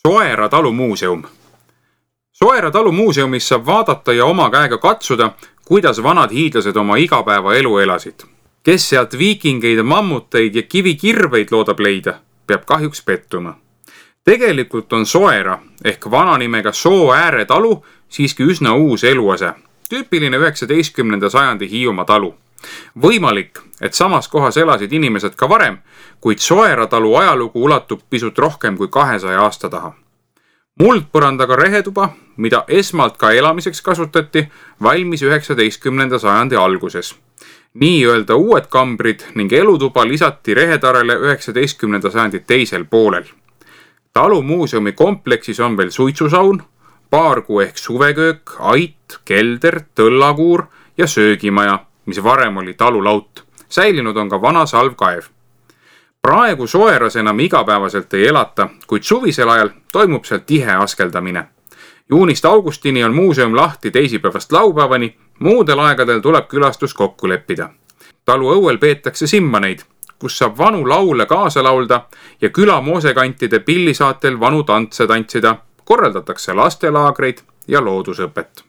Soera talumuuseum. Soera talumuuseumis saab vaadata ja oma käega katsuda, kuidas vanad hiidlased oma igapäevaelu elasid. Kes sealt viikingeid, mammuteid ja kivikirveid loodab leida, peab kahjuks pettuma. Tegelikult on Soera ehk vana nimega Sooääre talu siiski üsna uus eluase. Tüüpiline 19. sajandi Hiiumaa talu. Võimalik, et samas kohas elasid inimesed ka varem, kuid Soera talu ajalugu ulatub pisut rohkem kui 200 aasta taha. Muldpõrandaga rehetuba, mida esmalt ka elamiseks kasutati, valmis 19. sajandi alguses. Nii öelda uued kambrid ning elutuba lisati rehetarele 19. sajandi teisel poolel. Talumuuseumi kompleksis on veel suitsusaun, paargu ehk suveköök, ait, kelder, tõllakuur ja söögimaja, mis varem oli talulaut. Säilinud on ka vana salvkaev. Praegu Soeras enam igapäevaselt ei elata, kuid suvisel ajal toimub seal tihe askeldamine. Juunist augustini on muuseum lahti teisipäevast laupäevani, muudel aegadel tuleb külastus kokku leppida. Talu õuel peetakse simmaneid, kus saab vanu laule kaasa laulda ja küla moosekantide pillisaatel vanu tantse tantsida, korraldatakse lastelaagreid ja loodusõpet.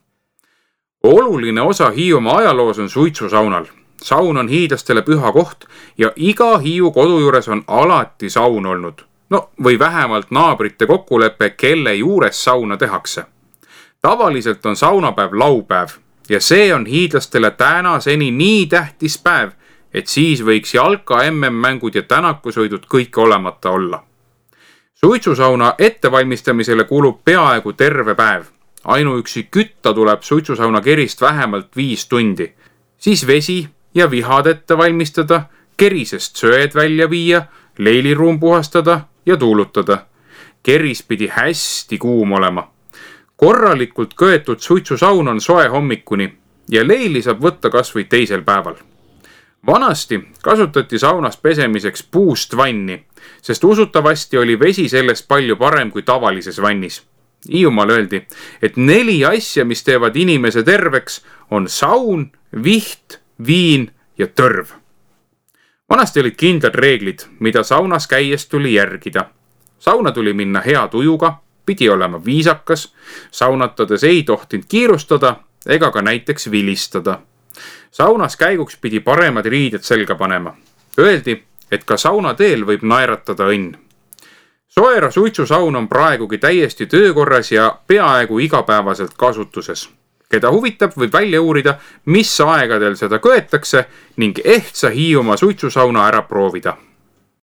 Oluline osa Hiiumaa ajaloos on suitsusaunal. Saun on hiidlastele püha koht ja iga Hiiu kodu juures on alati saun olnud. Või vähemalt naabrite kokkulepe, kelle juures sauna tehakse. Tavaliselt on saunapäev laupäev ja see on hiidlastele tänaseni nii tähtis päev, et siis võiks jalka MM-mängud ja tänakusõidud kõik olemata olla. Suitsusauna ettevalmistamisele kulub peaaegu terve päev. Ainuüksi kütta tuleb suitsusauna kerist vähemalt 5 tundi. Siis vesi ja vihad ette valmistada, kerisest söed välja viia, leiliruum puhastada ja tuulutada. Keris pidi hästi kuum olema. Korralikult köetud suitsusaun on soe hommikuni ja leili saab võtta kas või teisel päeval. Vanasti kasutati saunas pesemiseks puust vanni, sest usutavasti oli vesi sellest palju parem kui tavalises vannis. Hiiumaal öeldi, et 4 asja, mis teevad inimese terveks, on saun, viht, viin ja tõrv. Vanasti olid kindlad reeglid, mida saunas käies tuli järgida. Sauna tuli minna hea tujuga, pidi olema viisakas, saunatades ei tohtinud kiirustada ega ka näiteks vilistada. Saunas käiguks pidi paremad riided selga panema. Öeldi, et ka saunateel võib naeratada õnn. Soera suitsusaun on praegugi täiesti töökorras ja peaaegu igapäevaselt kasutuses. Keda huvitab, võib välja uurida, mis aegadel seda köetakse ning ehtsa Hiiumaa suitsusauna ära proovida.